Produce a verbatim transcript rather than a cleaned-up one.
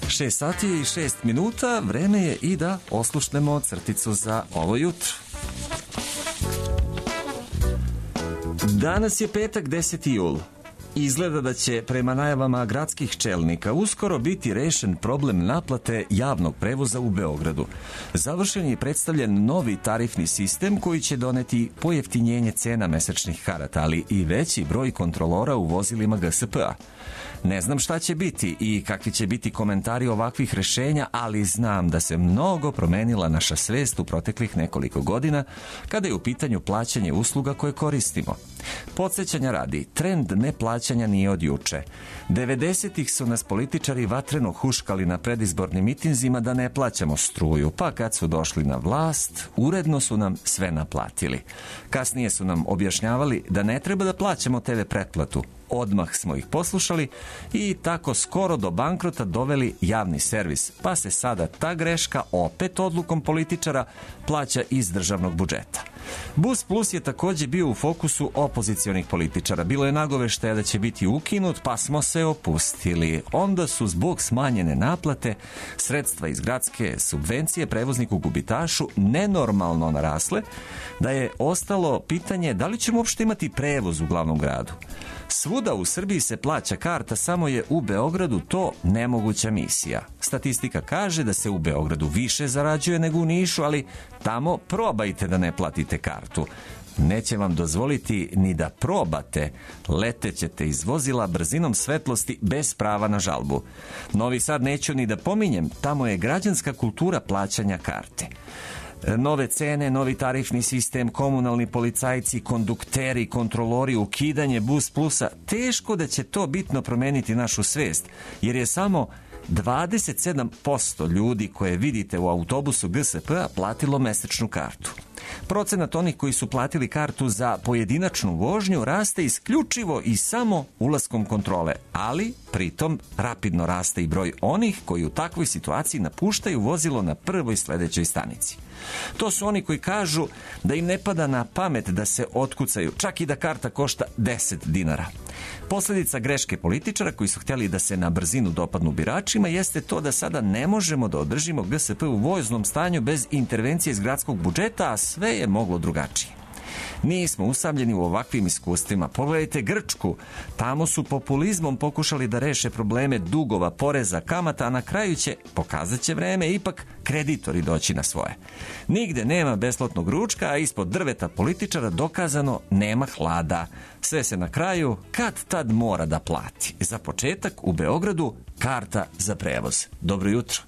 šest sati i šest minuta, vreme je i da oslušnemo crticu za ovo jutro. Danas je petak, deseti jul. Izgleda da će, prema najavama gradskih čelnika, uskoro biti rešen problem naplate javnog prevoza u Beogradu. Završen je i predstavljen novi tarifni sistem koji će doneti pojeftinjenje cena mesečnih karata, ali i veći broj kontrolora u vozilima G S P-a. Ne znam šta će biti i kakvi će biti komentari ovakvih rešenja, ali znam da se mnogo promenila naša svest u proteklih nekoliko godina kada je u pitanju plaćanje usluga koje koristimo. Podsjećanja radi, trend neplaćanja nije od juče. devedesetih su nas političari vatreno huškali na predizbornim mitinzima da ne plaćamo struju, pa kad su došli na vlast, uredno su nam sve naplatili. Kasnije su nam objašnjavali da ne treba da plaćamo te ve pretplatu. Odmah smo ih poslušali i tako skoro do bankrota doveli javni servis, pa se sada ta greška opet odlukom političara plaća iz državnog budžeta. Bus Plus je takođe bio u fokusu opozicionih političara. Bilo je nagoveštaja da će biti ukinut, pa smo se opustili. Onda su zbog smanjene naplate sredstva iz gradske subvencije prevozniku gubitašu nenormalno narasle, da je ostalo pitanje da li ćemo uopšte imati prevoz u glavnom gradu. Svuda u Srbiji se plaća karta, samo je u Beogradu to nemoguća misija. Statistika kaže da se u Beogradu više zarađuje nego u Nišu, ali tamo probajte da ne platite kartu. Neće vam dozvoliti ni da probate, letećete iz vozila brzinom svetlosti bez prava na žalbu. Novi Sad neću ni da pominjem, tamo je građanska kultura plaćanja karte. Nove cene, novi tarifni sistem, komunalni policajci, kondukteri, kontrolori, ukidanje Bus Plusa, teško da će to bitno promeniti našu svest, jer je samo dvadeset sedam posto ljudi koje vidite u autobusu G S P-a platilo mesečnu kartu. Procenat onih koji su platili kartu za pojedinačnu vožnju raste isključivo i samo ulaskom kontrole, ali pritom rapidno raste i broj onih koji u takvoj situaciji napuštaju vozilo na prvoj sledećoj stanici. To su oni koji kažu da im ne pada na pamet da se otkucaju, čak i da karta košta deset dinara. Posledica greške političara koji su htjeli da se na brzinu dopadnu biračima jeste to da sada ne možemo da održimo G S P u voznom stanju bez intervencije iz gradskog budžeta, a sve je moglo drugačije. Nismo usamljeni u ovakvim iskustvima. Pogledajte Grčku. Tamo su populizmom pokušali da reše probleme dugova, poreza, kamata, a na kraju će, pokazat će vreme, ipak kreditori doći na svoje. Nigde nema besplatnog ručka, a ispod drveta političara dokazano nema hlada. Sve se na kraju kad tad mora da plati. Za početak u Beogradu karta za prevoz. Dobro jutro.